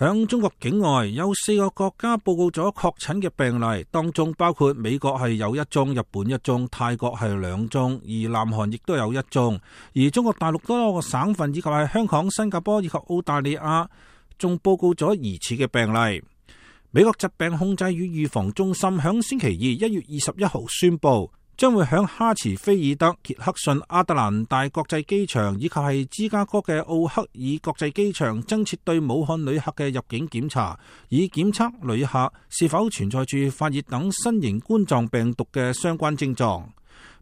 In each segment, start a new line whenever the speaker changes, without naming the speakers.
響中國境外有4個國家報告咗確診嘅病例，當中包括美國係有1宗，日本1宗，泰國係2宗，而南韓亦都有1宗。而中國大陸多個省份以及係香港、新加坡以及澳大利亞仲報告咗疑似嘅病例。美國疾病控制與預防中心響星期二1月21號宣布，將會響哈茨菲爾德、傑克遜、亞特蘭大國際機場以及係芝加哥嘅奧克爾國際機場增設對武漢旅客嘅入境檢查，以檢測旅客是否存在住發熱等新型冠狀病毒嘅相關症狀。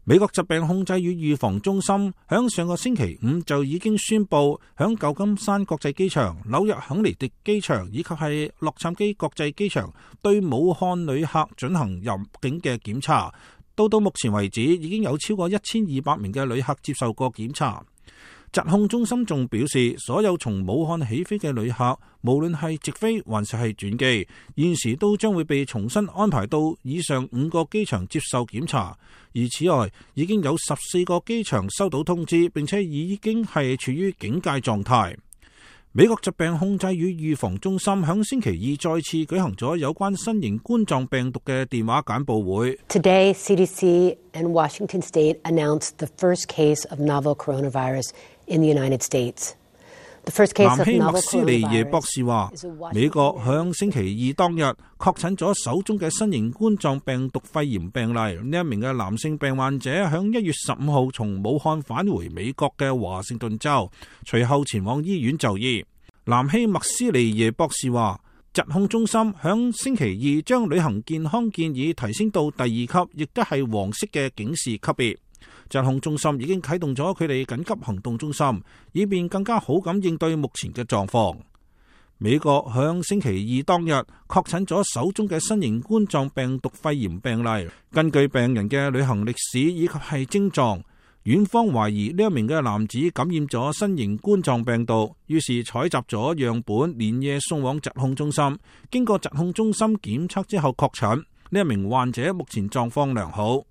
美國疾病控制與預防中心響上個星期五就已經宣布，響舊金山國際機場、紐約肯尼迪機場以及係洛杉磯國際機場對武漢旅客進行入境嘅檢查。到目前為止，已經有超過1200名嘅旅客接受過檢查。疾控中心仲表示，所有從武漢起飛嘅旅客，無論係直飛還是係轉機，現時都將會被重新安排到以上5個機場接受檢查。而此外，已經有14個機場收到通知，並且已經係處於警戒狀態。美國疾病控制與預防中心響星期二再次舉行咗有關新型冠狀病毒嘅電話簡報會。
Today, CDC and Washington State announced the first case of novel coronavirus in the United States.
南希麥斯尼耶博士話，美國響星期二當日確診咗首宗嘅新型冠狀病毒肺炎病例。呢一名嘅男性病患者響1月15號從武漢返回美國嘅華盛頓州，隨後前往醫院就醫。南希麥斯尼耶博士話，疾控中心響星期二將旅行健康建議提升到第2級，亦都係黃色嘅警示級別。疾控中心已經啟動咗佢哋緊急行動中心，以便更加好咁應對目前嘅狀況。美國響星期二當日確診咗首宗嘅新型冠狀病毒肺炎病例。根據病人嘅旅行歷史以及係症狀，院方懷疑呢一名嘅男子感染咗新型冠狀病毒，於是採集咗樣本，連夜送往疾控中心。經過疾控中心檢測之後確診，呢一名患者目前狀況良好。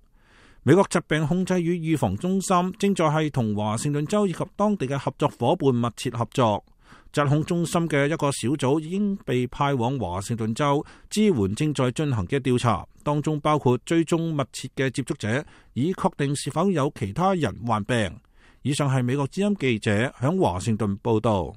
美國疾病控制與預防中心正在係同華盛頓州以及當地嘅合作夥伴密切合作。疾控中心嘅一個小組已經被派往華盛頓州支援正在進行嘅調查，當中包括追蹤密切嘅接觸者，以確定是否有其他人患病。以上係美國之音記者響華盛頓報道。